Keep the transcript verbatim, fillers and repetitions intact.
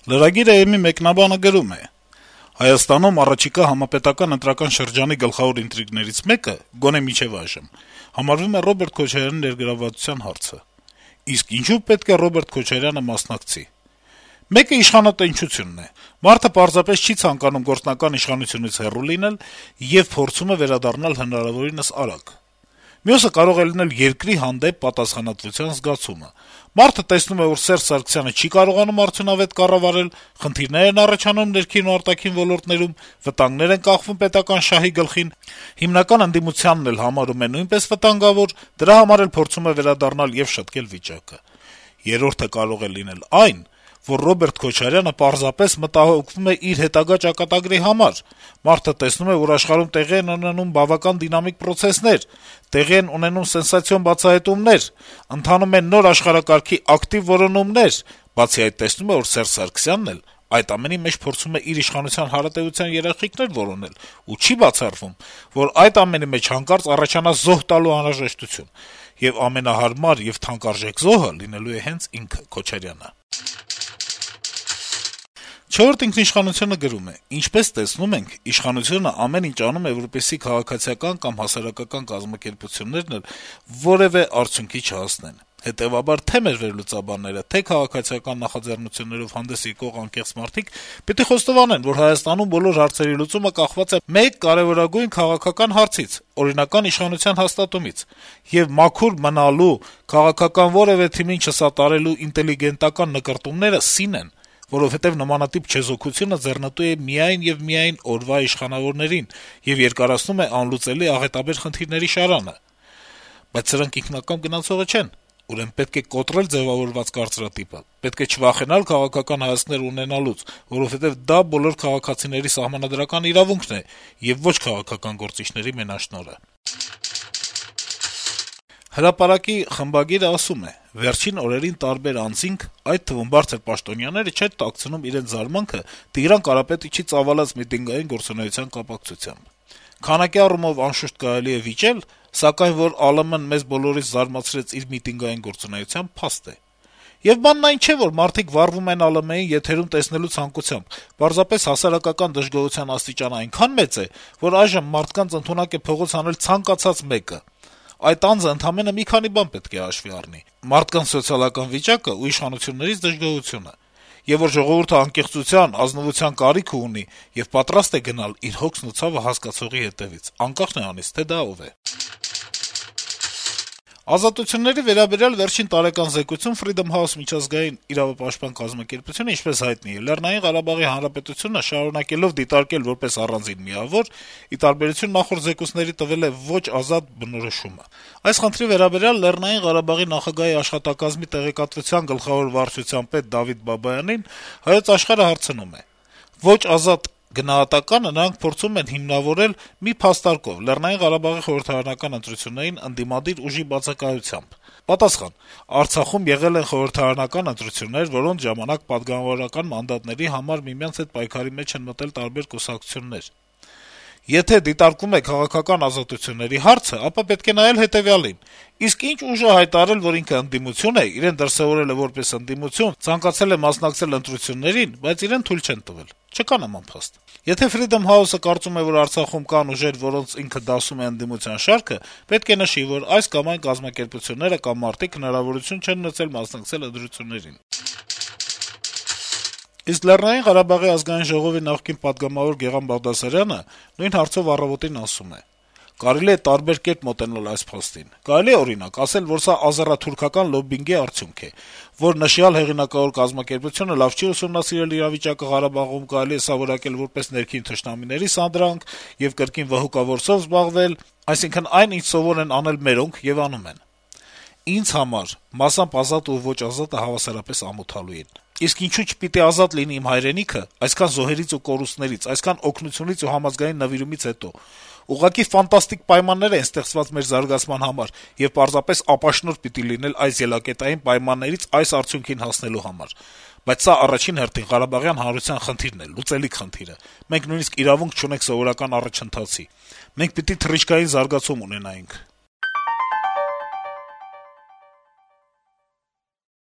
Lragir.am-ի մեկնաբանը գրում է. - «Հայաստանում առաջիկա համապետական ընտրական շրջանի գլխավոր ինտրիգներից մեկը, գոնե մինչեւ այժմ, համարվում է Ռոբերտ Քոչարյանի ներգրավվածության հարցը: Իսկ ինչու պետք է Ռոբերտ Քոչարյանը մասնակցի: Մեկը իշխանատենչությունն է: Մարդը պարզապես չի ցանկանում գործնական իշխանությունից հեռու լինել եւ փորձում է վերադառնալ հնարավորինս արագ: Մյուսը կարող է լինել երկրի հանդեպ պատասխանատվության զգացումը: Մարդը տեսնում է, որ Սերժ Սարգսյանը չի կարողանում արդյունավետ կառավարել, խնդիրներ են առաջանում ներքին ու արտաքին ոլորտներում, վտանգներ են կախվում պետական շահի գլխին, հիմնական ընդդիմությանն էլ համարում է նույնպես վտանգավոր, դրա համար էլ փորձում է վերադառնալ եւ շտկել վիճակը: Երրորդը կարող է լինել այն, որ Ռոբերտ Քոչարյանը պարզապես մտահոգվում է իր հետագա ճակատագրի համար: Մարդը տեսնում է, որ աշխարհում տեղի են ունենում բավական դինամիկ պրոցեսներ, տեղի են ունենում սենսացիոն բացահայտումներ, ընթանում են նոր աշխարհակարգի ակտիվ որոնումներ, բացի այդ տեսնում է, որ Սերժ Սարգսյանն էլ այդ ամենի մեջ փորձում է իր իշխանության հարատեւության երաշխիքներ որոնել ու չի բացառվում, որ այդ ամենի մեջ հանկարծ առաջանա զոհ տալու անհրաժեշտություն: Եվ ամենահարմար եւ թանկարժեք զոհը լինելու է հենց ինքը` Քոչարյանը»: «Չորրորդ ինքնիշխանություն»-ը գրում է. - «Ինչպես տեսնում ենք, իշխանությունը ամեն ինչ անում է, որպեսզի քաղաքացիական կամ հասարակական կազմակերպություններն էլ որեւէ արդյունքի չհասնեն: Հետեւաբար թե' մեր վերլուծաբանները, թե' քաղաքացիական նախաձեռնություններով հանդես եկող անկեղծ մարդիկ պիտի խոստովանեն, որ Հայաստանում բոլոր հարցերի լուծումը կախված է մեկ կարեւորագույն քաղաքական հարցից` օրինական իշխանության հաստատումից: Եվ մաքուր մնալու, քաղաքական որեւէ թիմին չսատարելու ինտելիգենտական նկրտումները սին են, որովհետեւ նմանատիպ չեզոքությունը ձեռնտու է միայն եւ միայն օրվա իշխանավորներին եւ երկարացնում է անլուծելի աղետաբեր խնդիրների շարանը: Բայց սրանք ինքնակամ գնացողը չեն: Ուրեմն պետք է կոտրել ձեւավորված կարծրատիպը, պետք է չվախենալ քաղաքական հայացքներ ունենալուց, որովհետեւ դա բոլոր քաղաքացիների սահմանադրական իրավունքն է եւ ոչ քաղաքական գործիչների մենաշնորհը»: «Հրապարակ»-ի խմբագիրը ասում է. - «Վերջին օրերին տարբեր անձինք, այդ թվում բարձր պաշտոնյաները, չեն տաքցնում իրենց զարմանքը Տիգրան Կարապետիչի ծավալած միտինգային գործունեության կապակցությամբ: Քանակի առումով, անշուշտ, կարելի է վիճել, սակայն որ ԱԼՄ-ն մեզ բոլորիս զարմացրեց իր միտինգային գործունեությամբ, փաստ է: Եվ բանն այն չէ, որ մարդիկ վառվում են ԱԼՄ-ին եթերում տեսնելու ցանկությամբ, պարզապես հասարակական դժգոհության աստիճանը այնքան մեծ է, որ այժմ մարդկանց ընդունակ է փողոց հանել ցանկացած մեկը: Այդ անձը ընդամենը մի քանի բան պետք է հաշվի առնի` մարդկանց սոցիալական վիճակը ու իշխանություններից դժգոհությունը: Եվ որ ժողովուրդը անկեղծության, ազնվության կարիք ունի եւ պատրաստ է գնալ իր հոգսն ու ցավը հասկացողի հետեւից, անկախ նրանից, թե դա ով է»: Ազատությունների վերաբերյալ վերջին տարեկան զեկույցում Freedom House միջազգային իրավապաշտպան կազմակերպությունը, ինչպես հայտնի է, Լեռնային Ղարաբաղի Հանրապետությունը շարունակելով դիտարկել որպես առանձին միավոր, ի տարբերություն նախորդ զեկույցների, տվել է ոչ ազատ բնորոշումը: Այս խնդրի վերաբերյալ Լեռնային Ղարաբաղի նախագահի աշխատակազմի տեղեկատվության գլխավոր վարչության պետ Դավիթ Բաբայանին «Հայոց Աշխարհ»-ը հարցնում է. - «Ոչ ազատ գնահատականը նրանք փորձում են հիմնավորել մի փաստարկով` Լեռնային Ղարաբաղի խորհրդարանական ընտրություններին ընդդիմադիր ուժի բացակայությամբ»: Պատասխան. - «Արցախում եղել են խորհրդարանական ընտրություններ, որոնց ժամանակ պատգամավորական մանդատների համար միմյանց հետ պայքարի մեջ են մտել տարբեր կուսակցություններ: Եթե դիտարկում է քաղաքական ազատությունների հարցը, ապա պետք է նայել հետեւյալին. իսկ ինչ ուժ է հայտարարել, որ ինքը ընդդիմություն է, իրեն դրսեւորել է որպես ընդդիմություն, ցանկացել է մասնակցել ընտրություններին, բայց իրեն թույլ չեն տվել: Չկա նման փաստ: Եթե Freedom House-ը կարծում է, որ Արցախում կան ուժեր, որոնց ինքը դասում է ընդդիմության շարքը, պետք է նշի, որ այս կամ այն կազմակերպությունները կամ մարդիկ հնարավորություն չեն ունեցել մասնակցել ընտրություններին»: Իսկ Լեռնային Ղարաբաղի Ազգային ժողովի նախկին պատգամավոր Գեղամ Բաղդասարյանը նույն հարցով «Առավոտ»-ին ասում է. - «Կարելի է տարբեր կերպ մոտենալ այս փաստին: Կարելի է, օրինակ, ասել, որ սա ազեռաթուրքական լոբբինգի արդյունք է, որ նշյալ հեղինակավոր կազմակերպությունը լավ չի ուսումնասիրել իրավիճակը Ղարաբաղում, կարելի է սա որակել որպես ներքին թշնամիների սադրանք եւ կրկին վհուկավորсով զբաղվել, այսինքն` այն, ինչ սովոր են անել մերոնք եւ անում են: Ինձ համար մասամբ ազատ ու ոչ ազատը հավասարապես ամոթալու են: Իսկ ինչու չպիտի ազատ լինի իմ հայրենիքը այսքան զոհերից ու կորուստներից, այսքան օգնությունից ու համազգային նվիրումից հետո: Ուղղակի ֆանտաստիկ պայմաններ են ստեղծված մեր զարգացման համար, եւ պարզապես ապաշնորհ պիտի լինել այս ելակետային պայմաններից այս արդյունքին հասնելու համար: Բայց սա առաջին հերթին ղարաբաղյան հանրության խնդիրն է, լուծելիք խնդիրը: Մենք նույնիսկ իրավունք չունենք սովորական առաջընթացի: Մենք պիտի թռիչքային զարգացում ունենայինք»: